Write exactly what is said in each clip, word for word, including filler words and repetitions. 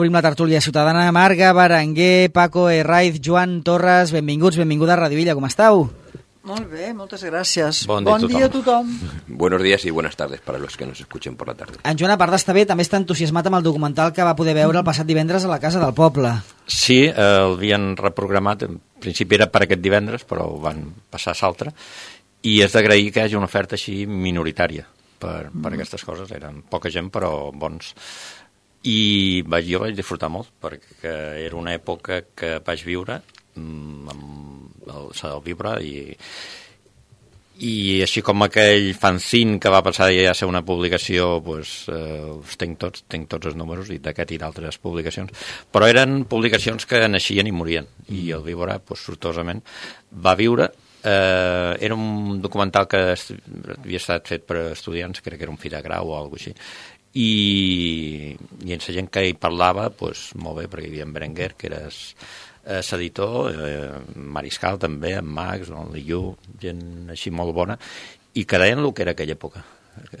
Obrim la tertúlia ciutadana. Marga, Berenguer, Paco, Herraiz, Joan, Torres, benvinguts, benvinguda a Radio Villa, com esteu? Molt bé, moltes gràcies. Bon, bon dia a tothom. Buenos días y buenas tardes para los que nos escuchen por la tarde. En Joan, a part d'estar bé, també està entusiasmat amb el documental que va poder veure el passat divendres a la Casa del Poble. Sí, eh, el havien reprogramat, en principi era per aquest divendres, però ho van passar a l'altre, i és d'agrair que hi hagi una oferta així minoritària per, per aquestes coses. Eren poca gent, però bons. I vaig, jo vaig disfrutar molt, perquè era una època que vaig viure amb el Sadal Viure i, i així com aquell fanzine que va passar ja a ser una publicació, pues, eh, els tenc tots, tenc tots els números i d'aquest i d'altres publicacions, però eren publicacions que naixien i morien, i el Viure, pues, sortosament, va viure. Eh, era un documental que havia estat fet per estudiants, crec que era un fi de grau o alguna cosa així, i, i en la gent que hi parlava, pues, molt bé, perquè hi havia en Berenguer, que era eh, l'editor, eh, Mariscal també, en Max, en Liu, gent així molt bona, i que deien el que era aquella època,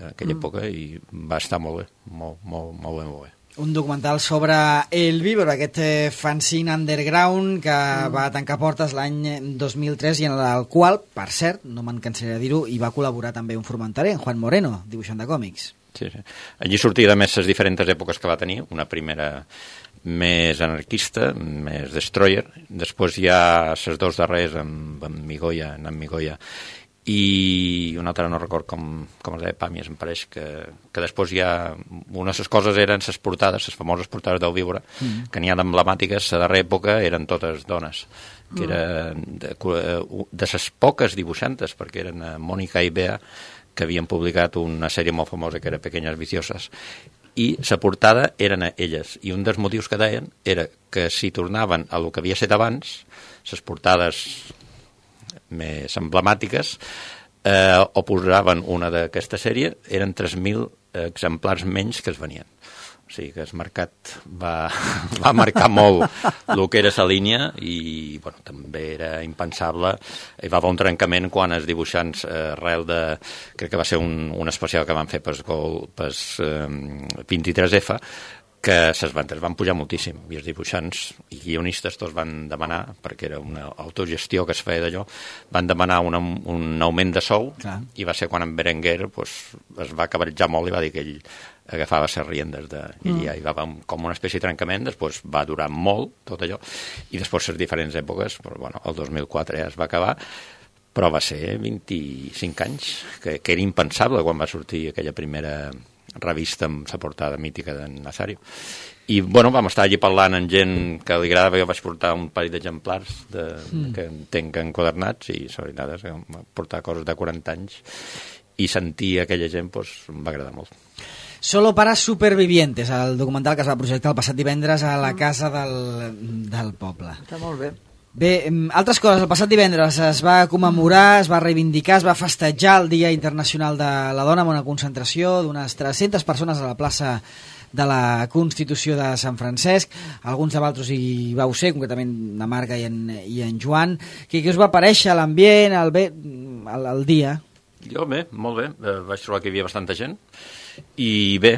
aquella mm. època, i va estar molt bé, molt, molt, molt bé, molt bé. Un documental sobre el Víbora, aquest eh, fanzine underground que mm. va tancar portes l'any dos mil tres i en el qual, per cert, no me'n cansaré de dir-ho, hi va col·laborar també un formentaré, en Juan Moreno, dibuixant de còmics. Sí, sí. Allí sortia de més les diferents èpoques que va tenir, una primera més anarquista, més destroyer, després hi ha les dos darrers amb, amb Migoya, en Migoya, i una altra no record com, com es deia, Pàmies, em pareix, que, que després hi ha... Una de les coses eren les portades, les famoses portades del Víbora, mm. que n'hi ha d'emblemàtiques, la darrera època eren totes dones, que eren de, de les poques dibuixantes, perquè eren Mònica i Bea, que havien publicat una sèrie molt famosa que era Pequeñas Viciosas, i la portada eren elles, i un dels motius que deien era que si tornaven a lo que havia estat abans, les portades més emblemàtiques, eh, o posaven una d'aquesta sèrie, eren tres mil exemplars menys que es venien. O sigui que el mercat va, va marcar molt el que era la línia i bueno, també era impensable. Hi va haver un trencament quan els dibuixants, eh, arrel de... Crec que va ser un, un especial que van fer per eh, vint-i-tres efa, que les ventes van pujar moltíssim i els dibuixants i guionistes tots van demanar, perquè era una autogestió que es feia d'allò, van demanar un, un augment de sou. Clar. I va ser quan en Berenguer pues, es va cabarejjar molt i va dir que ell agafava les riendes de... I mm. ja hi va haver com una espècie de trencament, després va durar molt tot allò, i després les diferents èpoques, però, bueno, el dos mil quatre ja es va acabar, però va ser vint-i-cinc anys, que, que era impensable quan va sortir aquella primera revista amb la portada mítica d'en Nazario. I, bueno, vam estar allí parlant amb gent que li agradava. Jo vaig portar un parell d'exemplars de, mm. que entenc enquadernats, i la veritat és que vam portar coses de quaranta anys, i sentir aquella gent pues, em va agradar molt. Solo para supervivientes, el documental que es va projectar el passat divendres a la Casa del, del Poble. Està molt bé. Bé, altres coses. El passat divendres es va commemorar, es va reivindicar, es va festejar el Dia Internacional de la Dona amb una concentració d'unes tres-centes persones a la plaça de la Constitució de Sant Francesc. Alguns de vosaltres hi vau ser, concretament la Marga i en, i en Joan. Què, què us va parèixer l'ambient, el, bé, el, el dia? Jo bé, molt bé. Eh, vaig trobar que hi havia bastanta gent. I bé,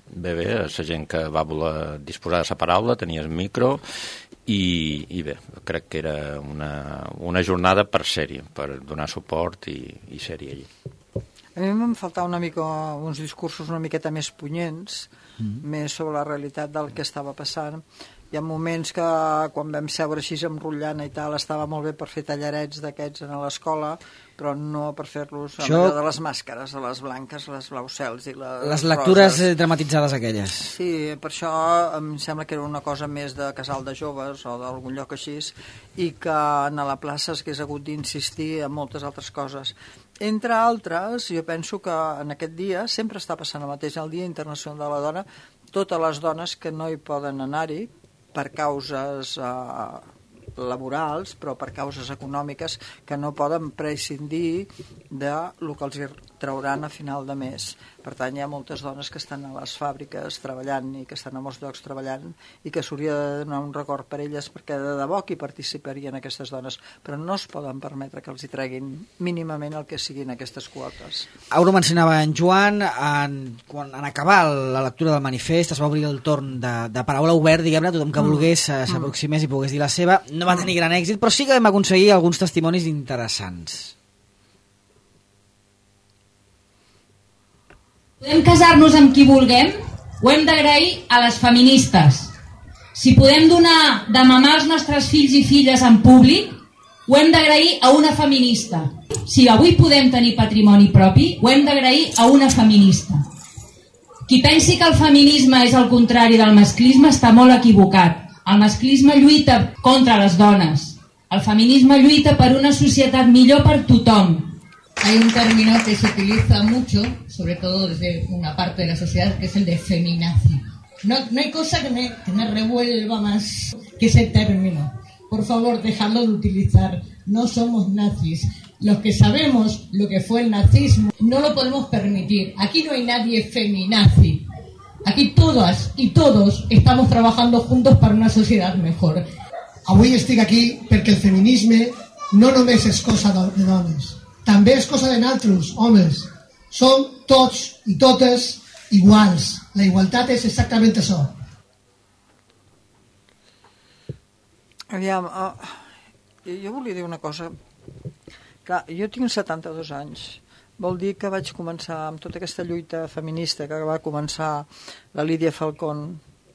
bé, bé, la gent que va voler disposar de la paraula, tenia el micro, i, i bé, crec que era una, una jornada per ser-hi, per donar suport i, i ser-hi allí. A mi m'han faltat una mica uns discursos una miqueta més punyents, mm. més sobre la realitat del que estava passant. Hi ha moments que quan vam seure així amb rotllana i tal estava molt bé per fer tallarets d'aquests a l'escola, però no per fer-los amb Això... allò de les màscares, les blanques, les blaus-cels i les Les lectures roses. Dramatitzades aquelles. Sí, per això em sembla que era una cosa més de casal de joves o d'algun lloc així, i que a la plaça s'hagués hagut d'insistir en moltes altres coses. Entre altres, jo penso que en aquest dia sempre està passant el mateix, el Dia Internacional de la Dona, totes les dones que no hi poden anar-hi per causes eh, laborals, però per causes econòmiques, que no poden prescindir de lo que els trauran a final de mes. Per tant, hi ha moltes dones que estan a les fàbriques treballant i que estan a molts llocs treballant i que s'hauria de donar un record per elles perquè de debò que hi participarien aquestes dones, però no es poden permetre que els hi treguin mínimament el que siguin aquestes quotes. Ara ho mencionava en Joan, en, quan, en acabar la lectura del manifest es va obrir el torn de, de paraula obert, diguem-ne, tothom que volgués mm. s'aproximés i pogués dir la seva. No va tenir gran èxit, però sí que vam aconseguir alguns testimonis interessants. Podem casar-nos amb qui vulguem, ho hem d'agrair a les feministes. Si podem donar de mamar als nostres fills i filles en públic, ho hem d'agrair a una feminista. Si avui podem tenir patrimoni propi, ho hem d'agrair a una feminista. Qui pensi que el feminisme és el contrari del masclisme està molt equivocat. El masclisme lluita contra les dones. El feminisme lluita per una societat millor per tothom. Hay un término que se utiliza mucho, sobre todo desde una parte de la sociedad, que es el de feminazi. No, no hay cosa que me, que me revuelva más que ese término. Por favor, dejadlo de utilizar. No somos nazis. Los que sabemos lo que fue el nazismo no lo podemos permitir. Aquí no hay nadie feminazi. Aquí todas i todos estamos trabajando juntos per una societat mejor. Avui estic aquí perquè el feminisme no només és cosa de dones, també és cosa de nosaltres, homes. Som tots i totes iguals. La igualtat és exactament això. Aviam, uh, jo volia dir una cosa. Clar, jo tinc setanta-dos anys. Vol dir que vaig començar amb tota aquesta lluita feminista que va començar la Lídia Falcón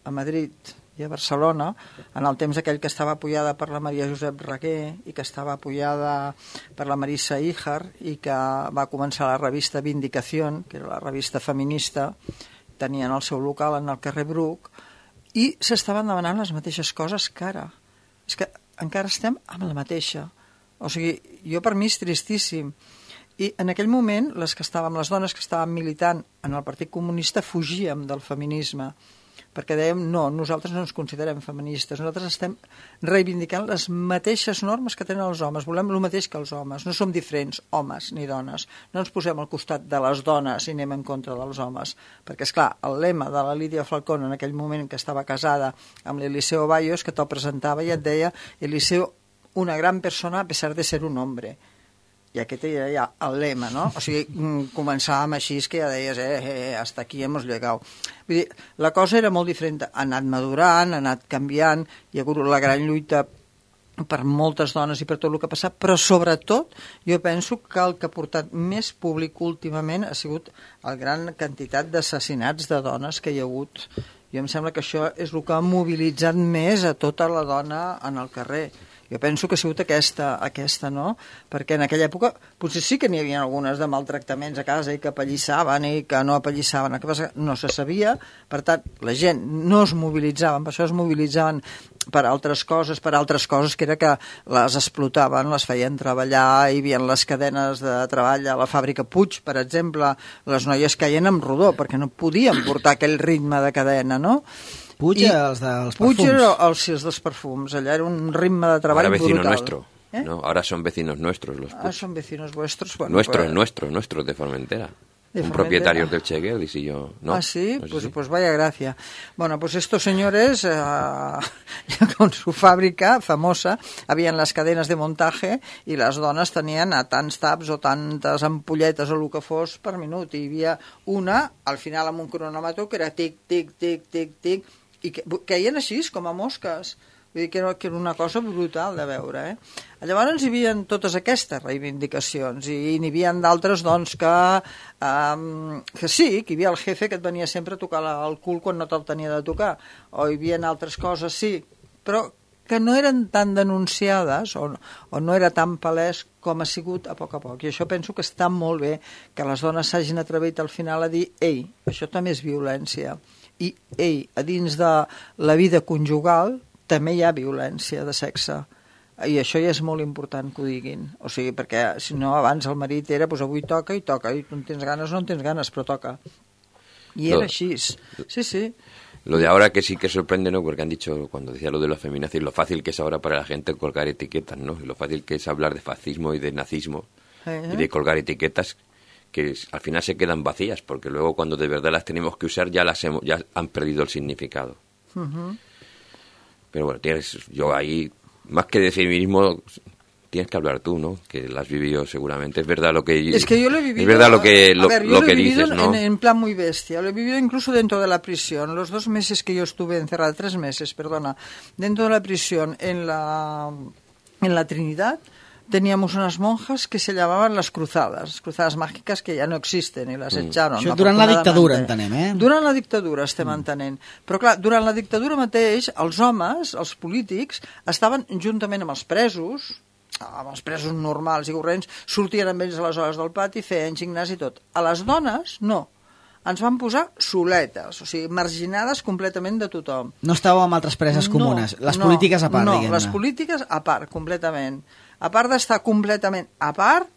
a Madrid i a Barcelona, en el temps aquell que estava apoyada per la Maria Josep Reguer i que estava apoyada per la Marisa Híjar i que va començar la revista Vindicación, que era la revista feminista, tenien el seu local en el carrer Bruc, i s'estaven demanant les mateixes coses que ara. És que encara estem amb la mateixa. O sigui, jo per mi és tristíssim. I en aquell moment, les que estàvem, les dones que estàvem militant en el Partit Comunista fugíem del feminisme, perquè dèiem, no, nosaltres no ens considerem feministes, nosaltres estem reivindicant les mateixes normes que tenen els homes, volem el mateix que els homes, no som diferents, homes ni dones, no ens posem al costat de les dones i anem en contra dels homes, perquè, esclar, el lema de la Lídia Falcón en aquell moment que estava casada amb l'Eliseo Bayos, que te'l presentava i et deia, Eliseo, una gran persona a pesar de ser un hombre. I aquest era ja el lema, no? O sigui, començàvem així, que ja deies, eh, eh, hasta aquí hemos llegado. Vull dir, la cosa era molt diferent, ha anat madurant, ha anat canviant, hi ha hagut la gran lluita per moltes dones i per tot el que ha passat, però sobretot jo penso que el que ha portat més públic últimament ha sigut la gran quantitat d'assassinats de dones que hi ha hagut. Jo em sembla que això és el que ha mobilitzat més a tota la dona en el carrer. Jo penso que ha sigut aquesta, aquesta, no? Perquè en aquella època potser sí que n'hi havia algunes de maltractaments a casa i que apallissaven i que no apallissaven, no se sabia, per tant, la gent no es mobilitzaven, per això es mobilitzaven per altres coses, per altres coses que era que les explotaven, les feien treballar, hi havia les cadenes de treball a la fàbrica Puig, per exemple, les noies caien amb rodó perquè no podien portar aquell ritme de cadena, no? Puig I els dels perfums. Puig era els, els dels perfums, allà era un ritme de treball Ahora vecino brutal. Nuestro, ¿eh? ¿No? Ahora son vecinos nuestros los Puig. Ah, son vecinos vuestros. Bueno, nuestros, pues... nuestros, nuestros de Formentera. De un Formentera. Propietarios del Cheguel, y si yo... ¿no? Ah, sí, no sé pues, si... pues vaya gracia. Bueno, pues estos señores, eh, con su fábrica famosa, habían las cadenas de montaje i les dones tenien a tants taps o tantes ampolletes o el que fos per minut. I hi havia una, al final amb un cronòmetre, que era tic, tic, tic, tic, tic, i que caien així, com a mosques. Vull dir que era, que era una cosa brutal de veure, eh? Llavors hi havia totes aquestes reivindicacions i n'hi havia d'altres, doncs, que, um, que sí, que hi havia el jefe que et venia sempre a tocar el cul quan no te'l tenia de tocar, o hi havia altres coses, sí, però que no eren tan denunciades o, o no era tan palès com ha sigut a poc a poc. I això penso que està molt bé que les dones s'hagin atrevit al final a dir, ei, això també és violència. I, ei, a dins de la vida conjugal també hi ha violència de sexe. I això ja és molt important que ho diguin. O sigui, perquè si no abans el marit era, doncs avui toca i toca, i tu en tens ganes o no en tens ganes, però toca. Y era así. Sí, sí. Lo de ahora que sí que sorprende, ¿no? Porque han dicho, cuando decía lo de la feminazis, lo fácil que es ahora para la gente colgar etiquetas, ¿no? Y lo fácil que es hablar de fascismo y de nazismo, eh, y de colgar etiquetas, que al final se quedan vacías, porque luego cuando de verdad las tenemos que usar ya las hemos, ya han perdido el significado. Uh-huh. Pero bueno, tienes, yo ahí, más que de feminismo, tienes que hablar tú, ¿no? Que la has vivido seguramente. Es verdad lo que... Es que yo lo he vivido... Es verdad lo que, lo, ver, lo lo que he vivido dices, ¿no? En, en plan muy bestia. Lo he vivido incluso dentro de la prisión. Los dos meses que yo estuve encerrada, tres meses, perdona, dentro de la prisión en la, en la Trinidad, teníamos unas monjas que se llamaban las cruzadas, cruzadas mágiques que ja no existen i les mm. echaron. Això durant la dictadura, entenem, eh? Durant la dictadura estem mm. entenent. Però clar, durant la dictadura mateix, els homes, els polítics, estaven juntament amb els presos, amb els presos normals i corrents, sortien amb ells a les hores del pati, feien gimnàs i tot. A les dones, no. Ens van posar soletes, o sigui, marginades completament de tothom. No estàveu amb altres preses comunes, no, les polítiques a part, no, diguem-ne. No, les polítiques a part, completament. A part d'estar completament a part,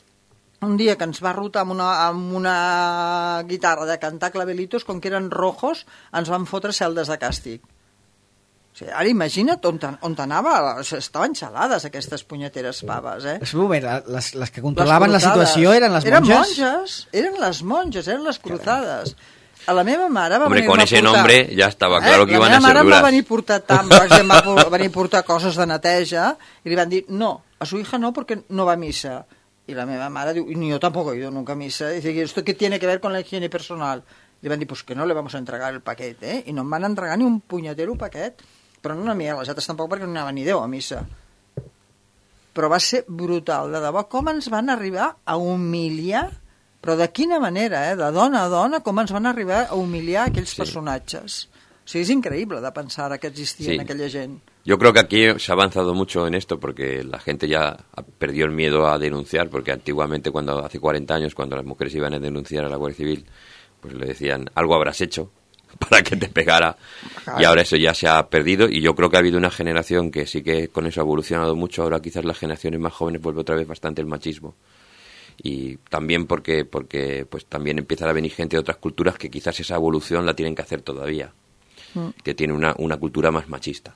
un dia que ens va rotar amb una, amb una guitarra de cantar clavelitos, com que eren rojos, ens van fotre celdes de càstig. O sigui, ara imagina't on, on anava, o sigui, estaven xalades aquestes punyeteres paves, eh? És moment, les, les que controlaven la situació eren les monges? Eren monges, eren les monges, eren les cruzadas. A la meva mare va Hombre, venir con a ese portar... nombre ya estaba claro eh, que iban a ser duras. La meva mare va venir a portar tàmpecs, va venir a portar coses de neteja, i li van dir, no, a su hija no, porque no va a misa. Y la meva mare diu, ni yo tampoco he ido nunca a misa. Dice, ¿esto qué tiene que ver con la higiene personal? Le van dir, pues que no le vamos a entregar el paquet, eh? I no em van entregar ni un punyetero paquet. Però no n'hi ha les altres tampoc, perquè no anava ni Déu a missa. Però va ser brutal, de debò, com ens van arribar a humiliar, però de quina manera, eh? De dona a dona, com ens van arribar a humiliar aquells sí. personatges. O sigui, és increïble de pensar que existia sí. aquella gent. Yo creo que aquí se ha avanzado mucho en esto porque la gente ya perdió el miedo a denunciar, porque antiguamente, cuando hace cuarenta años, cuando las mujeres iban a denunciar a la Guardia Civil, pues le decían, algo habrás hecho para que te pegara, y ahora eso ya se ha perdido, y yo creo que ha habido una generación que sí que con eso ha evolucionado mucho. Ahora quizás las generaciones más jóvenes vuelve otra vez bastante el machismo, y también porque porque pues también empieza a venir gente de otras culturas que quizás esa evolución la tienen que hacer todavía, mm. que tiene una, una cultura más machista.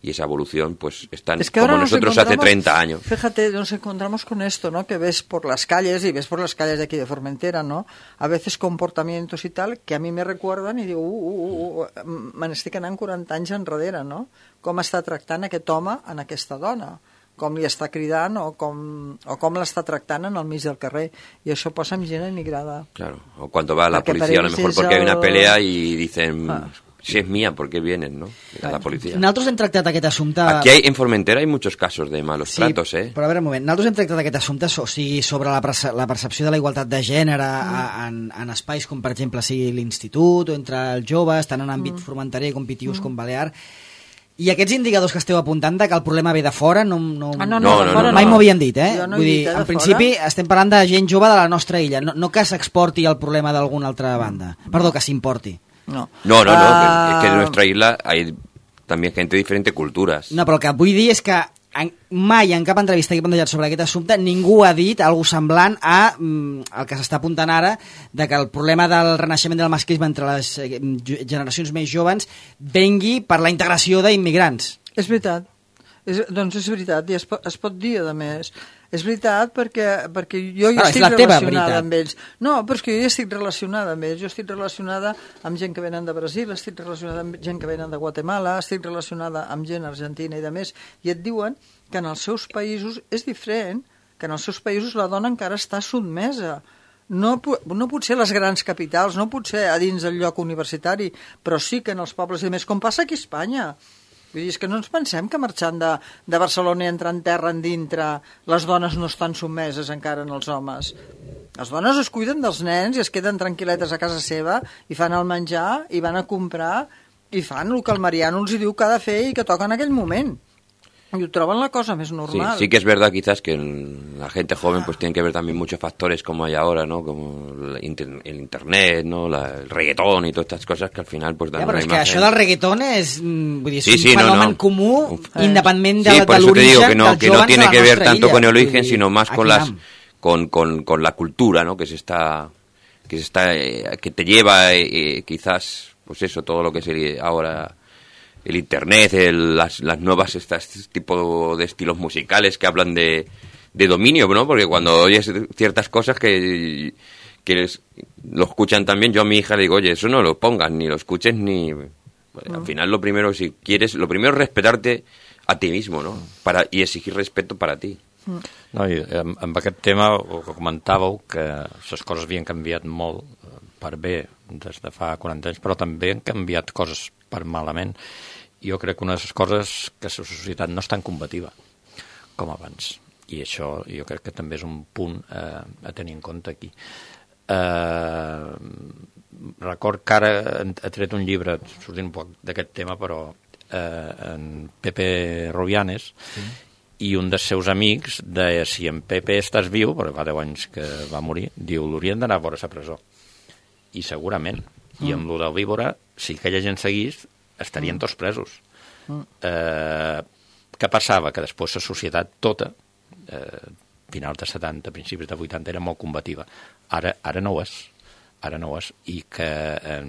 Y esa evolución, pues, están es que como nosotros hace treinta años. Fíjate, nos encontramos con esto, ¿no? Que ves por las calles, y ves por las calles de aquí de Formentera, ¿no? A veces comportamientos y tal, que a mí me recuerdan i digo, uh, uh, uh, me n'estic anant quaranta anys enrere, no? Com està tractant aquest home en aquesta dona, com li està cridant o com, o com l'està tractant en el mig del carrer. I això posa amb gent emigrada. Claro, o cuando va la policía, a lo mejor porque hay una pelea y dicen... Ah. Si es mía, ¿por qué vienen, no? A la policia. Nosaltres hem tractat aquest assumpte... Aquí hay, en Formentera hay muchos casos de malos sí, tratos, eh? Però a veure un moment, nosaltres hem tractat aquest assumpte, o sigui, sobre la, perce la percepció de la igualtat de gènere mm. en, en espais com, per exemple, sigui l'institut o entre els joves, tant en àmbit mm. formenterer com pitius mm. com balear. I aquests indicadors que esteu apuntant de que el problema ve de fora, no, no, ah, no, no, no, no, mai no. m'ho havien dit, eh? Jo no Vull dir, dit, eh, en principi fora. Estem parlant de gent jove de la nostra illa, no, no que s'exporti el problema d'alguna altra banda. Perdó, que s'importi. No, no, no, no uh... es que en nuestra isla hay también gente de diferentes culturas. No, però el que vull dir és que en, mai en cap entrevista que he plantejat sobre aquest assumpte ningú ha dit algú semblant a mm, el que s'està apuntant ara, de que el problema del renaixement del masclisme entre les eh, generacions més joves vengui per la integració d'immigrants. És veritat, és, doncs és veritat, i es pot, es pot dir, a més. És veritat perquè, perquè jo ja ah, estic relacionada amb ells. No, però és que jo ja estic relacionada amb ells. Jo estic relacionada amb gent que venen de Brasil, estic relacionada amb gent que venen de Guatemala, estic relacionada amb gent argentina i de més, i et diuen que en els seus països és diferent, que en els seus països la dona encara està sotmesa. No, no potser a les grans capitals, no potser a dins del lloc universitari, però sí que en els pobles i més, com passa aquí a Espanya. Vull dir, és que no ens pensem que marxant de, de Barcelona i entrant terra en dintre les dones no estan sotmeses encara en els homes. Les dones es cuiden dels nens i es queden tranquil·letes a casa seva i fan el menjar i van a comprar i fan el que el Mariano els diu que ha de fer i que toca en aquell moment. Y troban la cosa más normal. Sí, sí que es verdad quizás que la gente joven pues tiene que ver también muchos factores como hay ahora, ¿no? Como el, inter el internet, ¿no? La, el reggaetón y todas estas cosas que al final pues dan ja, però una és imagen. Que això del reggaetón és, vull dir, és sí, sí, un fenomen no, no. comú, eh. independent de, sí, de l'origen que no, dels que no tiene que ver tanto illa. con el origen, sino más con las am. con, con, con la cultura, ¿no? Que se está que se está eh, que te lleva eh, quizás pues eso, todo lo que sería ahora el internet, el, las, las nuevas estas este tipo de estilos musicales que hablan de, de dominio, ¿no? Porque cuando oyes ciertas cosas que, que les, lo escuchan también, yo a mi hija le digo, oye, eso no lo pongas, ni lo escuches, ni... Bueno, al final lo primero, si quieres, lo primero es respetarte a ti mismo, no? Para, i exigir respeto per a ti. No, i amb, amb aquest tema ho comentàveu que les coses havien canviat molt per bé des de fa quaranta anys, però també han canviat coses per malament. Jo crec que una de les coses que la societat no és tan combativa com abans, i això jo crec que també és un punt eh, a tenir en compte aquí. Eh, record que ara he tret un llibre sortint un poc d'aquest tema, però eh, en Pepe Rubianes, sí. I un dels seus amics deia, si en Pepe estàs viu, però fa deu anys que va morir, diu, l'haurien d'anar a veure a la presó. I segurament. Mm. I amb lo del Víbora, si aquella gent seguís, estarien mm. tots presos. Mm. Eh, què passava? Que després la societat tota, eh, finals de setanta, principis de vuitanta, era molt combativa. Ara, ara no ho és. Ara no ho és. I que eh,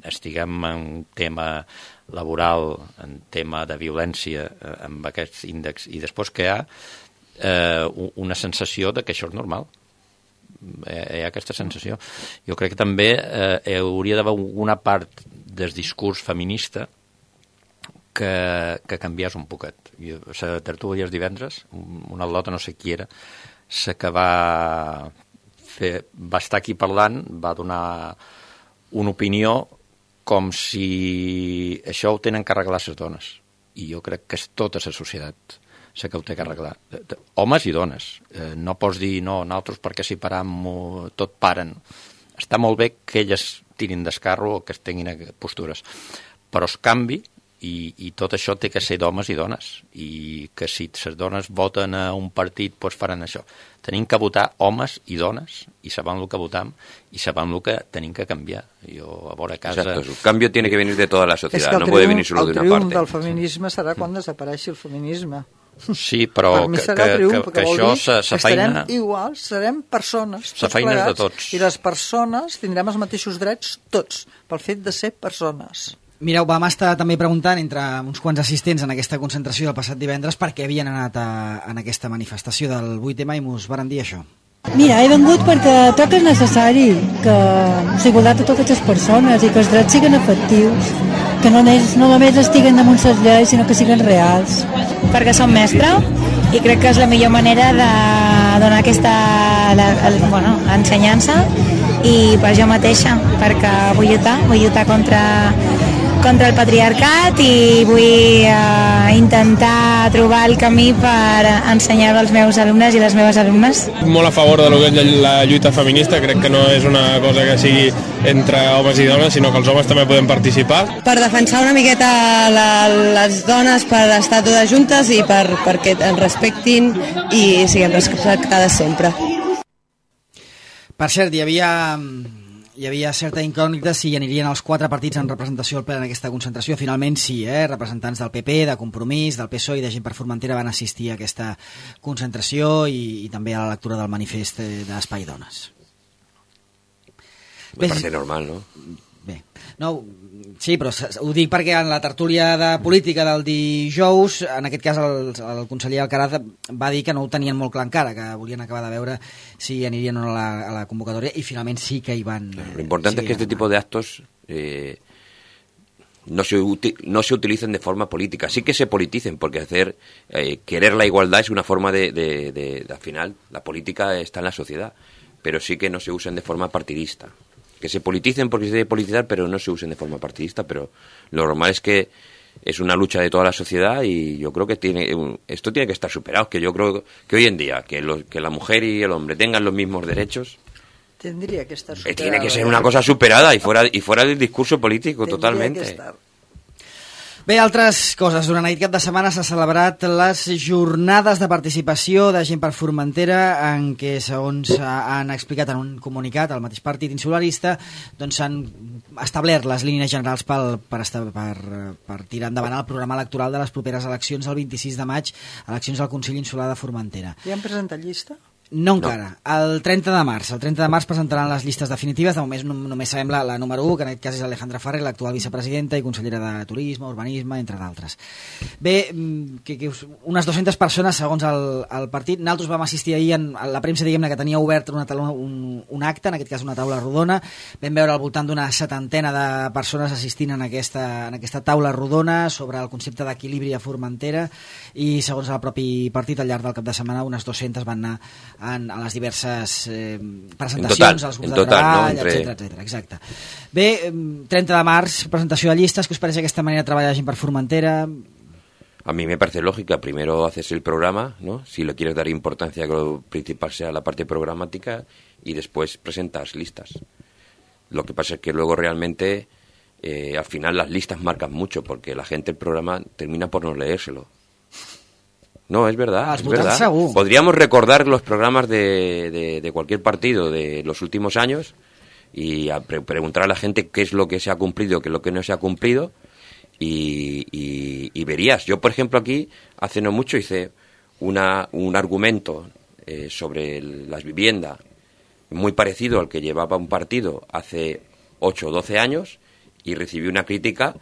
estiguem en tema laboral, en tema de violència, eh, amb aquests índexs, i després que hi ha eh, una sensació de que això és normal. Hi ha aquesta sensació. Jo crec que també eh, hauria d'haver una part del discurs feminista que, que canviés un poquet. La tertúlia els divendres, una al·lota, no sé qui era, sé que va, fer, va estar aquí parlant, va donar una opinió com si això ho tenen que arreglar les dones. I jo crec que és tota la societat la que ho té que arreglar. Homes i dones. Eh, no pots dir, no, nosaltres perquè si param tot paren. Està molt bé que elles tirin d'escarro o que es tinguin postures. Però es canvi i, i tot això té que ser d'homes i dones. I que si les dones voten a un partit, doncs faran això. Tenim que votar homes i dones i sabem el que votam i sabem el que tenim que canviar. Jo a veure a casa... Exacto, el cambio tiene que venir de toda la sociedad, no puede venir solo de una parte. El triomf del feminisme serà quan desapareixi el feminisme. Sí, però que, que, triomf, que, que això sa feina... Estarem iguals, serem persones, tots plegats, de tots. I les persones tindrem els mateixos drets tots, pel fet de ser persones. Mireu, vam estar també preguntant entre uns quants assistents en aquesta concentració del passat divendres per què havien anat a, en aquesta manifestació del vuit eme i mos varen dir això. Mira, he vengut perquè tot és necessari que s'igualtat a totes les persones i que els drets siguin efectius, que no, és, no només estiguen damunt les lleis, sinó que siguin reals. Perquè som mestra i crec que és la millor manera de donar aquesta la, el, bueno, ensenyança i per jo mateixa, perquè vull lluitar, vull lluitar contra contra el patriarcat i vull uh, intentar trobar el camí per ensenyar als meus alumnes i les meves alumnes. Molt a favor de lo que és la lluita feminista, crec que no és una cosa que sigui entre homes i dones, sinó que els homes també podem participar. Per defensar una miqueta la, les dones, per estar totes juntes i per, perquè ens respectin i siguem respectades sempre. Per cert, hi havia... Hi havia certa incògnita si anirien els quatre partits en representació al ple en aquesta concentració. Finalment sí, eh? Representants del P P, de Compromís, del P S O E i de Gent per Formentera van assistir a aquesta concentració i, i també a la lectura del manifest d'Espai Dones. Me parece normal, no? Bé, no, sí, però ho dic perquè en la tertúlia de política del dijous, en aquest cas el, el conseller Alcaraz va dir que no ho tenien molt clar encara, que volien acabar de veure si anirien o no a la, a la convocatòria, i finalment sí que hi van... Lo importante sí, es que este tipo de actos eh, no, se uti no se utilicen de forma política, sí que se politicen, porque hacer eh, querer la igualdad es una forma de, de, de, de, al final, la política está en la sociedad, pero sí que no se usen de forma partidista. Que se politicen porque se debe politizar, pero no se usen de forma partidista, pero lo normal es que es una lucha de toda la sociedad y yo creo que tiene esto tiene que estar superado, que yo creo que hoy en día que, lo, que la mujer y el hombre tengan los mismos derechos tendría que estar superado. Tiene que ser una cosa superada y fuera, y fuera del discurso político tendría totalmente. Que estar. Bé, altres coses. Durant aquest cap de setmana s'ha celebrat les jornades de participació de Gent per Formentera, en què, segons han explicat en un comunicat el mateix partit insularista, doncs s'han establert les línies generals pel, per, per, per tirar endavant el programa electoral de les properes eleccions el vint-i-sis de maig, eleccions al Consell Insular de Formentera. Ja han presentat llista? No encara. No. El trenta de març. El trenta de març presentaran les llistes definitives. De moment només sabem la, la número u, que en aquest cas és Alejandra Ferrer, l'actual vicepresidenta i consellera de Turisme, Urbanisme, entre d'altres. Bé, que, que unes dues-centes persones, segons el, el partit. Nosaltres vam assistir ahir, en, a la premsa, diguem-ne, que tenia obert una, un, un acte, en aquest cas una taula rodona. Vam veure al voltant d'una setantena de persones assistint en aquesta, en aquesta taula rodona sobre el concepte d'equilibri a Formentera, i segons el propi partit, al llarg del cap de setmana, unes dues-centes van anar En, en les diverses eh, presentacions, als grups de treball, no? etcètera, etcètera. Exacte. Bé, trenta de març, presentació de llistes. ¿Qué os parece aquesta manera de treballar gent per Formentera? A mí me parece lógica. Primero haces el programa, ¿no? Si le quieres dar importancia, que lo principal sea la parte programática, y después presentas listas. Lo que pasa es que luego realmente, eh, al final las listas marcan mucho, porque la gente el programa termina por no leérselo. No, es verdad, es verdad. Según. Podríamos recordar los programas de, de, de cualquier partido de los últimos años y a pre preguntar a la gente qué es lo que se ha cumplido, qué es lo que no se ha cumplido, y, y, y verías. Yo, por ejemplo, aquí, hace no mucho, hice una, un argumento eh, sobre el, las viviendas muy parecido al que llevaba un partido hace ocho o doce años, y recibí una crítica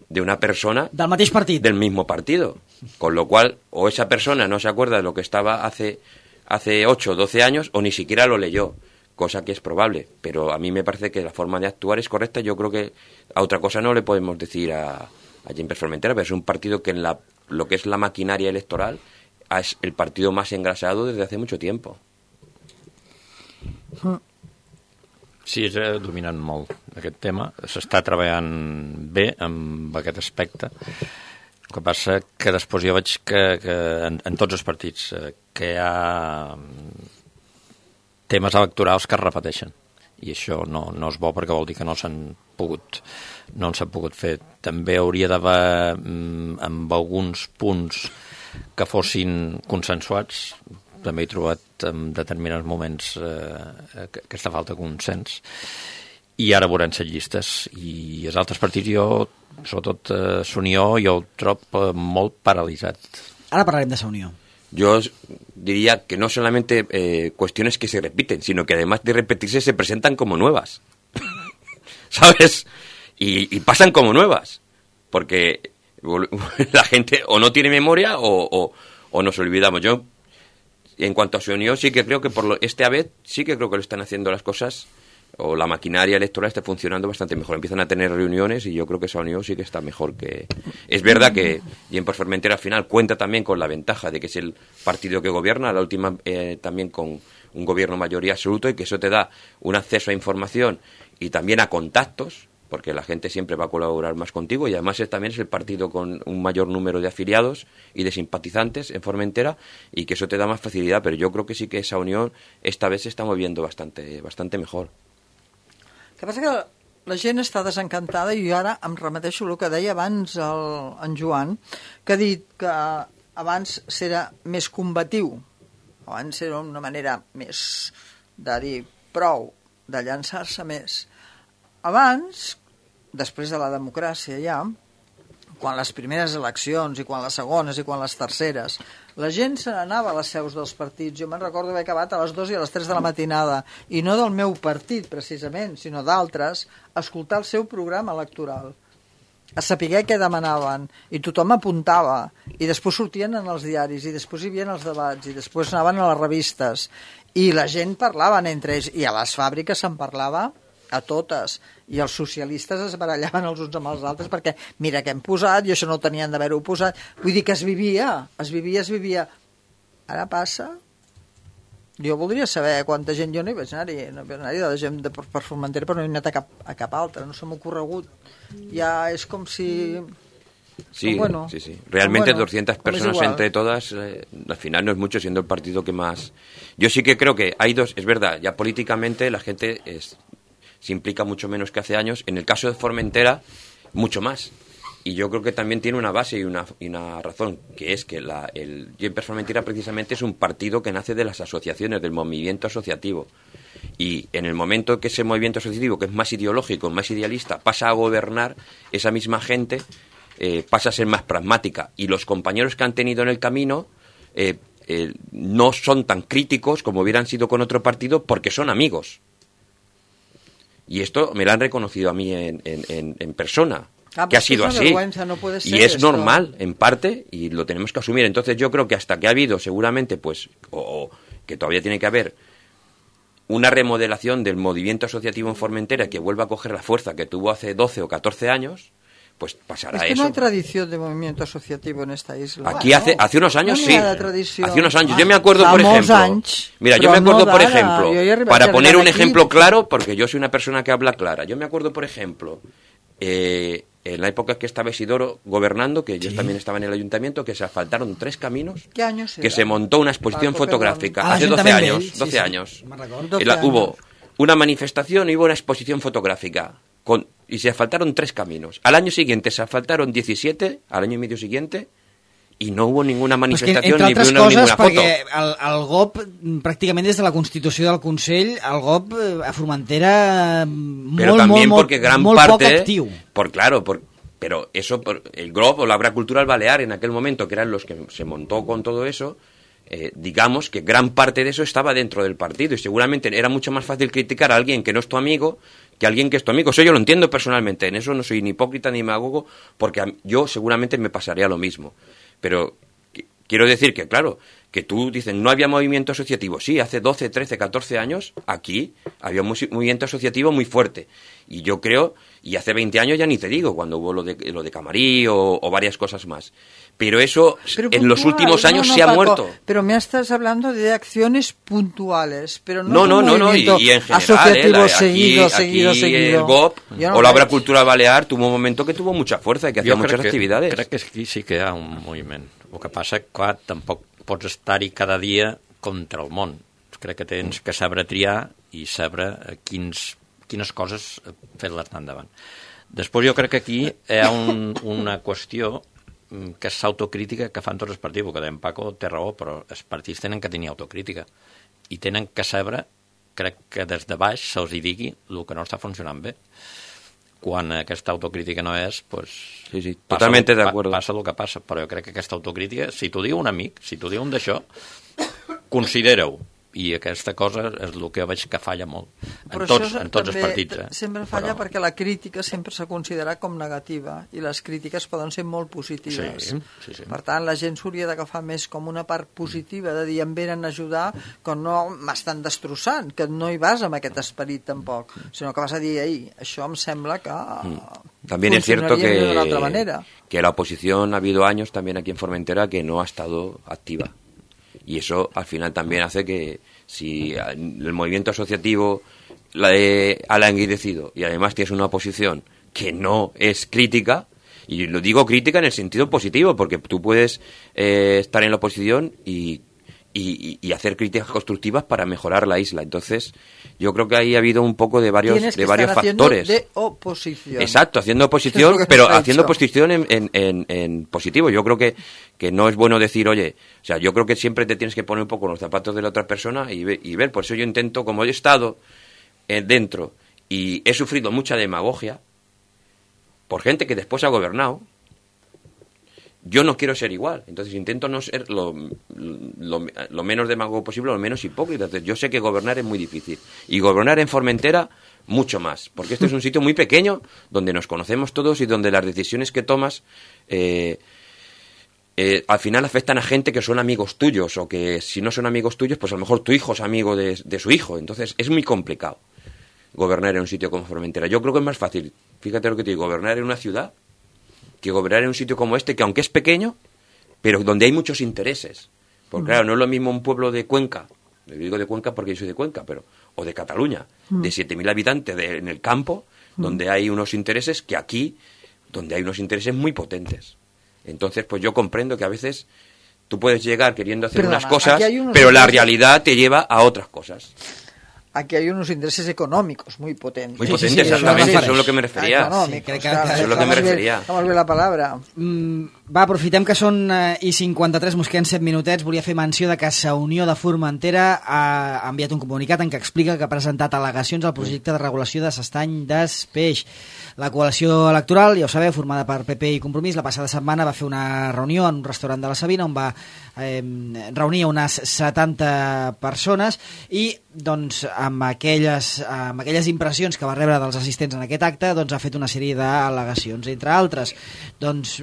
de una persona del mateix partit, del mismo partido, con lo cual o esa persona no se acuerda de lo que estaba hace hace ocho o doce años, o ni siquiera lo leyó, cosa que es probable, pero a mí me parece que la forma de actuar es correcta. Yo creo que a otra cosa no le podemos decir a, a Jimper Formentera, pero es un partido que en la, lo que es la maquinaria electoral es el partido más engrasado desde hace mucho tiempo. Sí, és dominant molt aquest tema. S'està treballant bé amb aquest aspecte. El que passa que després jo veig que, que en, en tots els partits que hi ha temes electorals que es repeteixen. I això no, no és bo, perquè vol dir que no s'han pogut, no s'han pogut fer. També hauria d'haver amb alguns punts que fossin consensuats. També he trobat en determinats moments eh, aquesta falta de consens, i ara veurem set llistes, i els altres partits, jo, sobretot eh, S'Unió, jo el trobo eh, molt paralitzat. Ara parlarem de S'Unió. Yo diría que no solamente eh, cuestiones que se repiten, sino que además de repetirse se presentan como nuevas, ¿sabes? Y, y pasan como nuevas, porque la gente o no tiene memoria o, o, o nos olvidamos. Yo, en cuanto a Su Unión, sí que creo que por lo, esta vez sí que creo que lo están haciendo las cosas, o la maquinaria electoral está funcionando bastante mejor. Empiezan a tener reuniones y yo creo que esa Unión sí que está mejor que... Es verdad que Jimper Formentera al final cuenta también con la ventaja de que es el partido que gobierna, la última eh, también con un gobierno mayoría absoluto, y que eso te da un acceso a información y también a contactos, porque la gente siempre va a colaborar más contigo, y además es, también es el partido con un mayor número de afiliados y de simpatizantes en Formentera, y que eso te da más facilidad. Pero yo creo que sí que esa unión esta vez se está moviendo bastante, bastante mejor. El que passa que la gent està desencantada, i jo ara em remeteixo el que deia abans el, en Joan, que ha dit que abans era més combatiu, abans era una manera més de dir prou, de llançar-se més. Abans, després de la democràcia ja, quan les primeres eleccions i quan les segones i quan les terceres, la gent se n'anava a les seus dels partits. Jo me'n recordo haver acabat a les dues i a les tres de la matinada, i no del meu partit precisament, sinó d'altres, a escoltar el seu programa electoral, a saber què demanaven, i tothom apuntava, i després sortien en els diaris, i després hi havia els debats, i després anaven a les revistes, i la gent parlaven entre ells, i a les fàbriques se'n parlava a totes, i els socialistes es barallaven els uns amb els altres perquè mira què hem posat, i això no tenien d'haver-ho posat. Vull dir que es vivia, es vivia, es vivia. Ara passa... Jo voldria saber quanta gent... Jo no hi vaig anar-hi, no hi vaig anar-hi de gent de, per Formentera, però no he anat a cap, a cap altra, no se m'ha ocorregut. Ja és com si... Sí, bueno, sí, sí. Realmente bueno, doscientas personas entre todas, eh, al final no es mucho, siendo el partido que más... Yo sí que creo que hay dos... Es verdad, ya políticamente la gente es... se implica mucho menos que hace años. En el caso de Formentera, mucho más. Y yo creo que también tiene una base y una, y una razón, que es que la, el Jimper Formentera precisamente es un partido que nace de las asociaciones, del movimiento asociativo. Y en el momento que ese movimiento asociativo, que es más ideológico, más idealista, pasa a gobernar, esa misma gente eh, pasa a ser más pragmática. Y los compañeros que han tenido en el camino... Eh, eh, no son tan críticos como hubieran sido con otro partido porque son amigos. Y esto me lo han reconocido a mí en, en, en, en persona. Ah, que ha sido así, no puede ser y es esto. normal en parte y lo tenemos que asumir. Entonces yo creo que hasta que ha habido seguramente pues o, o que todavía tiene que haber una remodelación del movimiento asociativo en Formentera que vuelva a coger la fuerza que tuvo hace doce o catorce años, pues pasará es que eso. no hay tradición de movimiento asociativo en esta isla. Aquí hace hace unos años no sí, hace unos años. Yo me acuerdo, por ejemplo, anys, mira, yo me acuerdo, no por d'ara. ejemplo, para poner un ejemplo claro, porque yo soy una persona que habla clara, yo me acuerdo, por ejemplo, eh, en la época que estaba Isidoro gobernando, que yo sí. también estaba en el ayuntamiento, que se asfaltaron tres caminos, ¿Qué años que era? se montó una exposición Paco, fotográfica, ah, hace doce años, sí, doce sí, años. doce La, años. hubo una manifestación y hubo una exposición fotográfica, con, y se asfaltaron tres caminos. Al año siguiente se asfaltaron diecisiete, al año y medio siguiente, y no hubo ninguna manifestación pues que, ni una, ninguna foto. Perquè el, el G O P, pràcticament des de la Constitució del Consell, el G O P a Formentera molt, pero también molt, porque gran molt parte, poc actiu. Por, claro, por, pero eso, por, el G O P o la Obra Cultural Balear en aquel momento, que eran los que se montó con todo eso, eh, digamos que gran parte de eso estaba dentro del partido y seguramente era mucho más fácil criticar a alguien que no es tu amigo que a alguien que es tu amigo. Eso yo lo entiendo personalmente, en eso no soy ni hipócrita ni demagogo, porque a, yo seguramente me pasaría lo mismo. Pero quiero decir que, claro, que tú dices, no había movimiento asociativo. Sí, hace doce, trece, catorce años, aquí había un movimiento asociativo muy fuerte. Y yo creo, y hace veinte años ya ni te digo, cuando hubo lo de, lo de Camarí o, o varias cosas más. Pero eso pero en los últimos años no, no, se Paco, ha muerto. Pero me estás hablando de acciones puntuales, pero no No, no, no, no, y, y en general, asociativo eh, la, seguido, aquí, seguido, aquí seguido. el G O P no o la Obra veig. Cultural Balear tuvo un momento que tuvo mucha fuerza y que hacía Jo muchas crec que, actividades. crec que aquí sí que hi ha un moviment. El que passa que, clar, tampoc pots estar-hi cada dia contra el món. Crec que tens que saber triar i saber quins, quines coses fer-les anar endavant. Després jo crec que aquí hi ha un, una qüestió que és l'autocrítica que fan tots els partits, perquè en Paco té raó, però els partits tenen que tenir autocrítica i tenen que saber, crec que des de baix se'ls hi digui el que no està funcionant bé. Quan aquesta autocrítica no és, pues, sí, sí, passa, totalmente el, de acuerdo. passa el que passa, però jo crec que aquesta autocrítica, si t'ho diu un amic, si t'ho diu un d'això, considera-ho. I aquesta cosa és el que veig que falla molt en tots, en tots els partits. Eh? Sempre falla però... perquè la crítica sempre s'ha considerat com negativa i les crítiques poden ser molt positives. Sí, sí, sí. Per tant, la gent s'hauria d'agafar més com una part positiva, de dir em venen a ajudar, que no m'estan destrossant, que no hi vas amb aquest esperit tampoc, sinó que vas a dir, ei, això em sembla que mm. También es cierto que, de otra manera. que la oposición ha habido años también aquí en Formentera que no ha estado activa. Y eso al final también hace que si el movimiento asociativo la he, ha languidecido y además tienes una oposición que no es crítica, y lo digo crítica en el sentido positivo, porque tú puedes eh, estar en la oposición y, y, y hacer críticas constructivas para mejorar la isla. Entonces yo creo que ahí ha habido un poco de varios, Tienes que de varios estar factores. De oposición. Exacto, haciendo oposición, pero haciendo oposición en, en, en, en positivo. Yo creo que, que no es bueno decir, oye, o sea, yo creo que siempre te tienes que poner un poco en los zapatos de la otra persona y, ve, y ver. Por eso yo intento, como he estado eh, dentro y he sufrido mucha demagogia por gente que después ha gobernado, yo no quiero ser igual. Entonces intento no ser lo, lo, lo menos demagogo posible, lo menos hipócrita. Entonces yo sé que gobernar es muy difícil. Y gobernar en Formentera, mucho más. Porque este es un sitio muy pequeño, donde nos conocemos todos y donde las decisiones que tomas eh, eh, al final afectan a gente que son amigos tuyos, o que si no son amigos tuyos, pues a lo mejor tu hijo es amigo de, de su hijo. Entonces es muy complicado gobernar en un sitio como Formentera. Yo creo que es más fácil, fíjate lo que te digo, gobernar en una ciudad que gobernar en un sitio como este, que aunque es pequeño, pero donde hay muchos intereses. Porque claro, no es lo mismo un pueblo de Cuenca, le digo de Cuenca porque yo soy de Cuenca, pero o de Cataluña, mm. de siete mil habitantes de, en el campo, mm. donde hay unos intereses, que aquí, donde hay unos intereses muy potentes. Entonces, pues yo comprendo que a veces tú puedes llegar queriendo hacer Perdona, unas cosas, unos pero la intereses... realidad te lleva a otras cosas. Aquí hay unos intereses económicos muy potentes. Muy potentes, sí, sí, exactamente, eso es lo que me refería. Económicos, sí, claro, eso es lo que me refería. Vamos a ver la palabra. Mm, Va, aprofitem que són eh, i cinquanta-tres, mos queden set minutets. Volia fer menció de que Sa Unió de Formentera ha enviat un comunicat en què explica que ha presentat al·legacions al projecte de regulació de s'estany d'Espeix. La coalició electoral, ja ho sabeu, formada per P P i Compromís, la passada setmana va fer una reunió en un restaurant de la Sabina on va eh, reunir unes setanta persones i doncs, amb, aquelles, amb aquelles impressions que va rebre dels assistents en aquest acte, doncs, ha fet una sèrie d'al·legacions. Entre altres, doncs,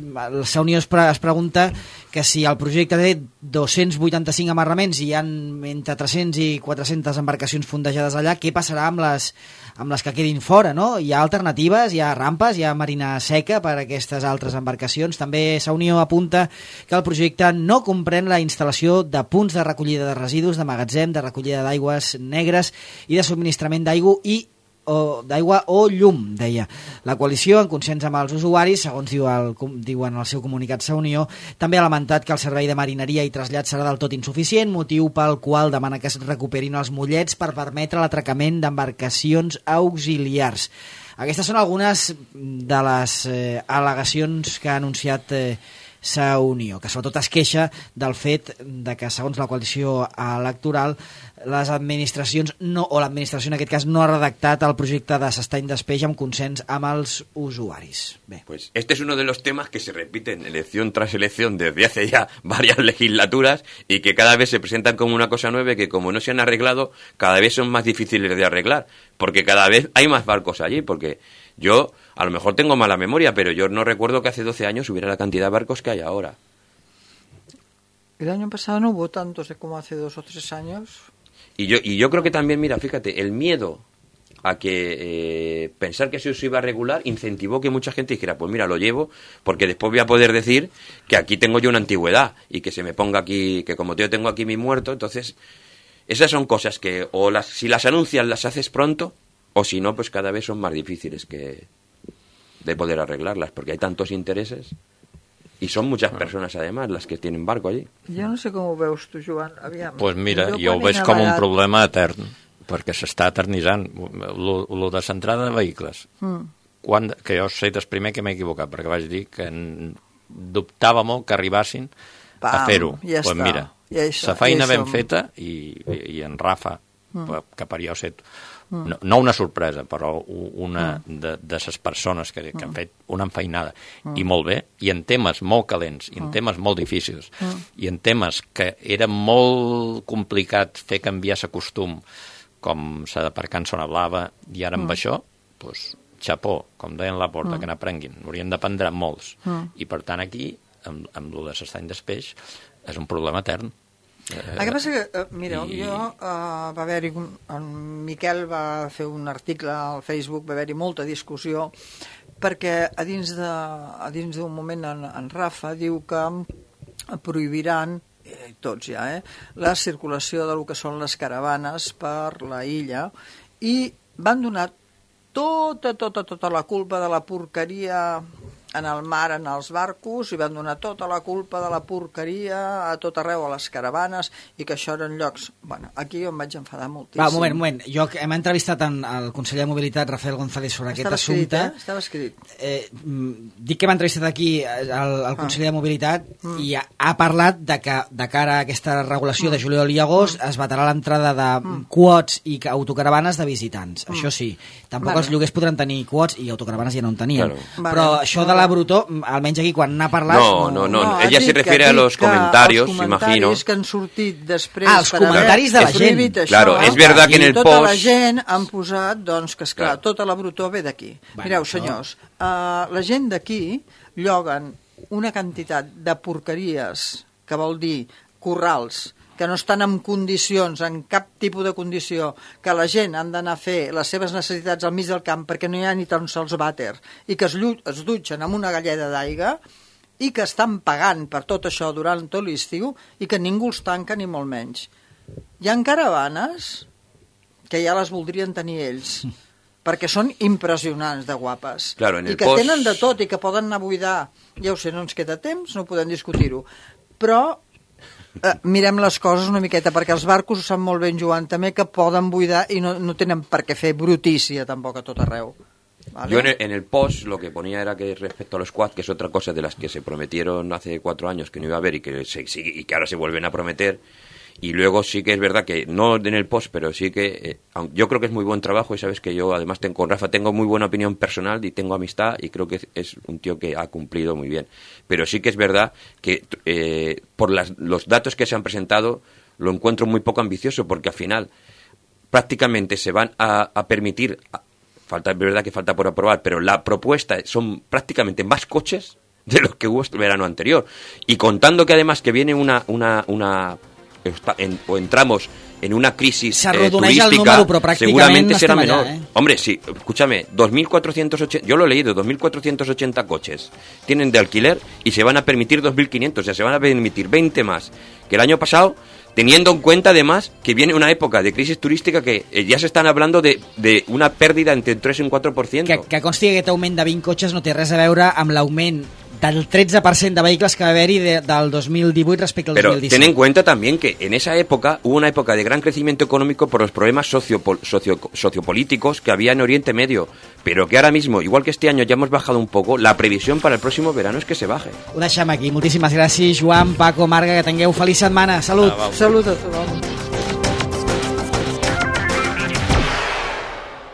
Sa Unió es, pre es pregunta que si el projecte té dos-cents vuitanta-cinc amarraments i hi ha entre tres-cents i quatre-centes embarcacions fondejades allà, què passarà amb les, amb les que quedin fora, no? Hi ha alternatives, hi ha rampes, hi ha marina seca per a aquestes altres embarcacions. També Sa Unió apunta que el projecte no comprèn la instal·lació de punts de recollida de residus, de magatzem, de recollida d'aigües negres i de subministrament d'aigua i o d'aigua o llum, deia. La coalició, en consens amb els usuaris, segons diu el, diuen el seu comunicat Sa Unió, també ha lamentat que el servei de marineria i trasllat serà del tot insuficient, motiu pel qual demana que es recuperin els mollets per permetre l'atracament d'embarcacions auxiliars. Aquestes són algunes de les eh, al·legacions que ha anunciat eh, Sa Unió, que sobretot es queixa del fet de que, segons la coalició electoral, les administracions, no, o l'administració en aquest cas, no ha redactat el projecte de s'estany d'Espeix amb consens amb els usuaris. Bé. Pues este es uno de los temas que se repiten elección tras elección desde hace ya varias legislaturas y que cada vez se presentan como una cosa nueva y que como no se han arreglado, cada vez son más difíciles de arreglar, porque cada vez hay más barcos allí, porque yo a lo mejor tengo mala memoria, pero yo no recuerdo que hace doce años hubiera la cantidad de barcos que hay ahora. El año pasado no hubo tantos como hace dos o tres años. Y yo, y yo creo que también, mira, fíjate, el miedo a que eh, pensar que eso se iba a regular incentivó que mucha gente dijera, pues mira, lo llevo, porque después voy a poder decir que aquí tengo yo una antigüedad y que se me ponga aquí, que como yo tengo aquí mi muerto, entonces esas son cosas que o las, si las anuncias las haces pronto, o si no, pues cada vez son más difíciles que de poder arreglarlas, porque hay tantos intereses y son muchas personas además las que tienen barco allí. Jo no sé com ho veus tu, Joan. Aviam. Pues mira, jo, jo ho veig com un problema etern, perquè s'està eternitzant lo, lo de l'entrada de vehicles. Mm. Quan, que jo sé des primer que m'he equivocat, perquè vaig dir que dubtava molt que arribassin Pam, a fer-ho. Ja pues està. Mira, ja la feina ja ben som. feta i, i, i en Rafa, mm. que per jo set Mm. No, no una sorpresa, però una mm. de, de les persones que, que han fet una enfeinada mm. i molt bé, i en temes molt calents, i en mm. temes molt difícils, mm. i en temes que era molt complicat fer canviar el costum, com s'ha d'aparcar en zona blava, i ara amb mm. això, doncs, xapó, com deien la porta, mm. que n'aprenguin. Haurien d'aprendre molts. Mm. I per tant aquí, amb, amb lo de l'estany d'Espeix, és un problema etern. El que passa que, uh, mireu, I... jo uh, va haver-hi, en Miquel va fer un article al Facebook, va haver-hi molta discussió, perquè a dins de, a dins d'un moment en, en Rafa diu que prohibiran, eh, tots ja, eh, la circulació de lo que són les caravanes per la illa i van donar tota, tota, tota la culpa de la porqueria en el mar, en els barcos, i van donar tota la culpa de la porqueria a tot arreu, a les caravanes, i que això eren llocs... Bueno, aquí jo em vaig enfadar moltíssim. Va, un moment, un moment. Jo hem entrevistat en, el conseller de Mobilitat, Rafael González, sobre Estava aquest assumpte. Escrit, eh? Estava escrit. Eh, dic que hem entrevistat aquí el, el conseller ah. de Mobilitat mm. i ha, ha parlat de que de cara a aquesta regulació mm. de juliol i agost mm. es vetarà l'entrada de mm. quots i autocaravanes de visitants. Mm. Això sí. Tampoc vale. Els lloguers podran tenir quots i autocaravanes ja no en tenien. Claro. Vale. Però això vale. De la Brutó, almenys aquí quan n'ha parlat... No, no, no, no. Ella se refiere a los comentarios, imagino. Els comentaris que han sortit després... Ah, els comentaris de la gent. Això, claro, és verdad que en el tota post... la gent han posat, doncs, que esclar, claro. Tota la Brutó ve d'aquí. Bueno, mireu, senyors, no. uh, la gent d'aquí lloguen una quantitat de porqueries, que vol dir corrals, que no estan en condicions, en cap tipus de condició, que la gent han d'anar a fer les seves necessitats al mig del camp perquè no hi ha ni tan sols vàter, i que es, es dutxen amb una galleda d'aigua, i que estan pagant per tot això durant tot l'estiu, i que ningú els tanca ni molt menys. Hi ha caravanes que ja les voldrien tenir ells, perquè són impressionants de guapes, claro, en el i que post... tenen de tot, i que poden anar a buidar. Ja ho sé, no ens queda temps, no podem discutir-ho, però Uh, mirem les coses una miqueta, perquè els barcos ho sap molt ben, Joan, també, que poden buidar i no, no tenen per què fer brutícia tampoc a tot arreu. ¿vale? Yo en el, en el post lo que ponía era que respecto a los quad, que es otra cosa de las que se prometieron hace cuatro años que no iba a haber y que, se, y que ahora se vuelven a prometer. Y luego sí que es verdad que, no en el post, pero sí que eh, yo creo que es muy buen trabajo y sabes que yo además tengo, con Rafa tengo muy buena opinión personal y tengo amistad y creo que es, es un tío que ha cumplido muy bien. Pero sí que es verdad que eh, por las, los datos que se han presentado lo encuentro muy poco ambicioso porque al final prácticamente se van a, a permitir, a, falta, es verdad que falta por aprobar, pero la propuesta son prácticamente más coches de los que hubo el verano anterior. Y contando que además que viene una... una, una Está en, o entramos en una crisis eh, turística, número, seguramente será menor. Allá, ¿eh? Hombre, sí, escúchame, dos mil cuatrocientos ochenta, yo lo he leído, dos mil cuatrocientos ochenta coches tienen de alquiler y se van a permitir dos mil quinientos, o sea, se van a permitir veinte más que el año pasado, teniendo en cuenta además que viene una época de crisis turística que eh, ja s'estan hablando de, de una pèrdua entre un tres i un quatre per cent. Que, que consti que aquest augment de vint cotxes no té res a veure amb l'augment del tretze per cent de vehicles que va haver-hi de, del dos mil divuit respecte al Pero dos mil disset. ten en cuenta también que en esa época hubo una época de gran crecimiento económico por los problemas socio, socio, sociopolíticos que había en Oriente Medio, pero que ahora mismo, igual que este año ya hemos bajado un poco, la previsión para el próximo verano es que se baje. Ho deixem aquí. Moltíssimes gràcies, Joan, Paco, Marga, que tingueu feliç setmana. Salut. Ah, Salut a tothom.